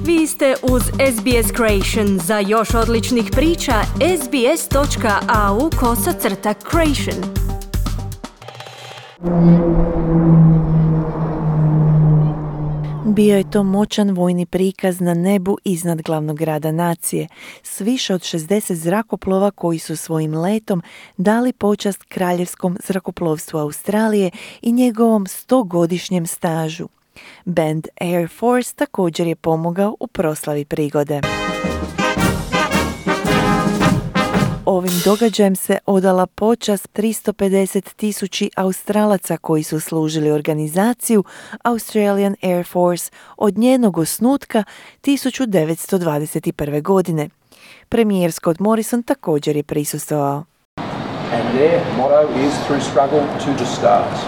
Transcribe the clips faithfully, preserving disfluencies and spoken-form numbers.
Vi ste uz S B S Creation. Za još odličnih priča, sbs.au kosacrta creation. Bio je to moćan vojni prikaz na nebu iznad glavnog grada nacije, s više od šezdeset zrakoplova koji su svojim letom dali počast kraljevskom zrakoplovstvu Australije i njegovom stogodišnjem stažu. Band Air Force također je pomogao u proslavi prigode. Ovim događajem se odala počast tristo pedeset tisuća Australaca koji su služili organizaciju Australian Air Force od njenog osnutka tisuću devetsto dvadeset prve. godine. Premijer Scott Morrison također je prisustvovao. And their motto is through struggle to the stars.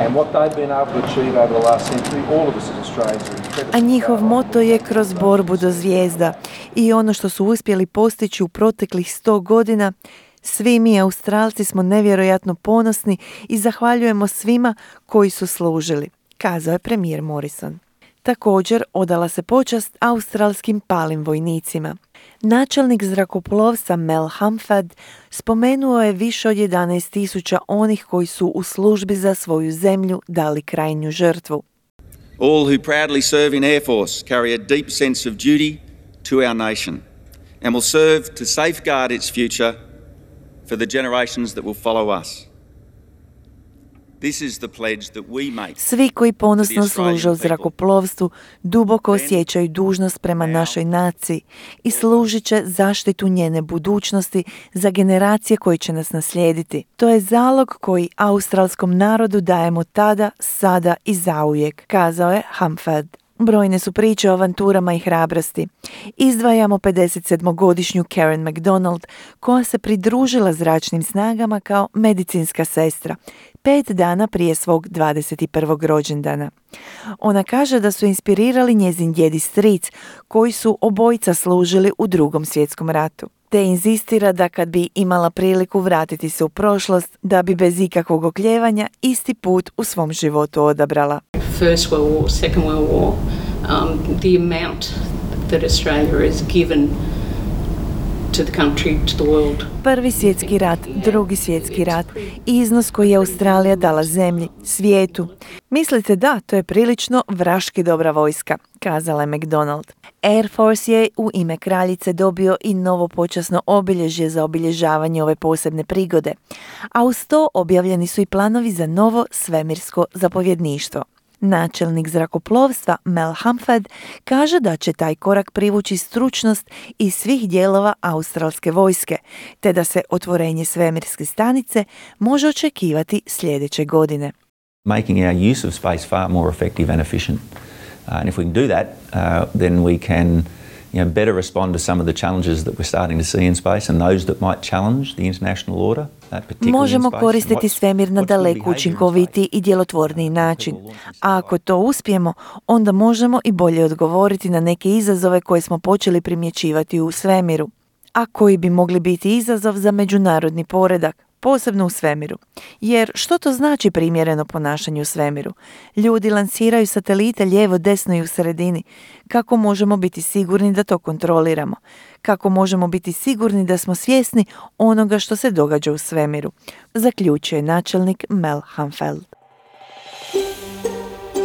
And what they've been able to achieve over the last century, all of us as Australians are incredibly. A njihov moto je kroz borbu do zvijezda i ono što su uspjeli postići u proteklih sto godina, svi mi Australci smo nevjerojatno ponosni i zahvaljujemo svima koji su služili, kazao je premijer Morrison. Također odala se počast australskim palim vojnicima. Načelnik zrakoplovstva Mel Humphrey spomenuo je više od jedanaest tisuća onih koji su u službi za svoju zemlju dali krajnju žrtvu. All who proudly serve in Air Force carry a deep sense of duty to our nation and will serve to safeguard its future for the generations that will follow us. Svi koji ponosno služe u zrakoplovstvu duboko osjećaju dužnost prema našoj naciji i služit će zaštitu njene budućnosti za generacije koje će nas naslijediti. To je zalog koji australskom narodu dajemo tada, sada i zauvijek, kazao je Humphrey. Brojne su priče o avanturama i hrabrosti. Izdvajamo pedesetsedmogodišnju Karen McDonald, koja se pridružila zračnim snagama kao medicinska sestra, pet dana prije svog dvadeset prvog rođendana. Ona kaže da su inspirirali njezin djed i stric, koji su obojica služili u Drugom svjetskom ratu. Te inzistira da kad bi imala priliku vratiti se u prošlost, da bi bez ikakvog okljevanja isti put u svom životu odabrala. First World War, Second World War, um, the amount that Australia has given to the country, to the world. Prvi svjetski rat, drugi svjetski rat, iznos koji je Australija dala zemlji, svijetu. Mislite da, to je prilično vraški dobra vojska, kazala je McDonald. Air Force je u ime kraljice dobio i novo počasno obilježje za obilježavanje ove posebne prigode, a uz to objavljeni su i planovi za novo svemirsko zapovjedništvo. Načelnik zrakoplovstva Mel Humphrey kaže da će taj korak privući stručnost iz svih dijelova australske vojske, te da se otvorenje svemirske stanice može očekivati sljedeće godine. Making our use of space far more effective and efficient. Uh, and if we can do that, uh, then we can you know, better respond to some of the challenges that we're starting to see in space and those that might challenge the international order. Možemo koristiti svemir na daleko učinkovitiji i djelotvorniji način. A ako to uspijemo, onda možemo i bolje odgovoriti na neke izazove koje smo počeli primjećivati u svemiru, a koji bi mogli biti izazov za međunarodni poredak, posebno u svemiru. Jer što to znači primjereno ponašanje u svemiru? Ljudi lansiraju satelite lijevo, desno i u sredini. Kako možemo biti sigurni da to kontroliramo? Kako možemo biti sigurni da smo svjesni onoga što se događa u svemiru? Zaključuje načelnik Mel Humphrey.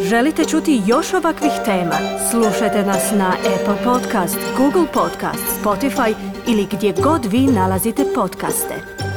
Želite čuti još ovakvih tema? Slušajte nas na Apple Podcast, Google Podcast, Spotify ili gdje god vi nalazite podcaste.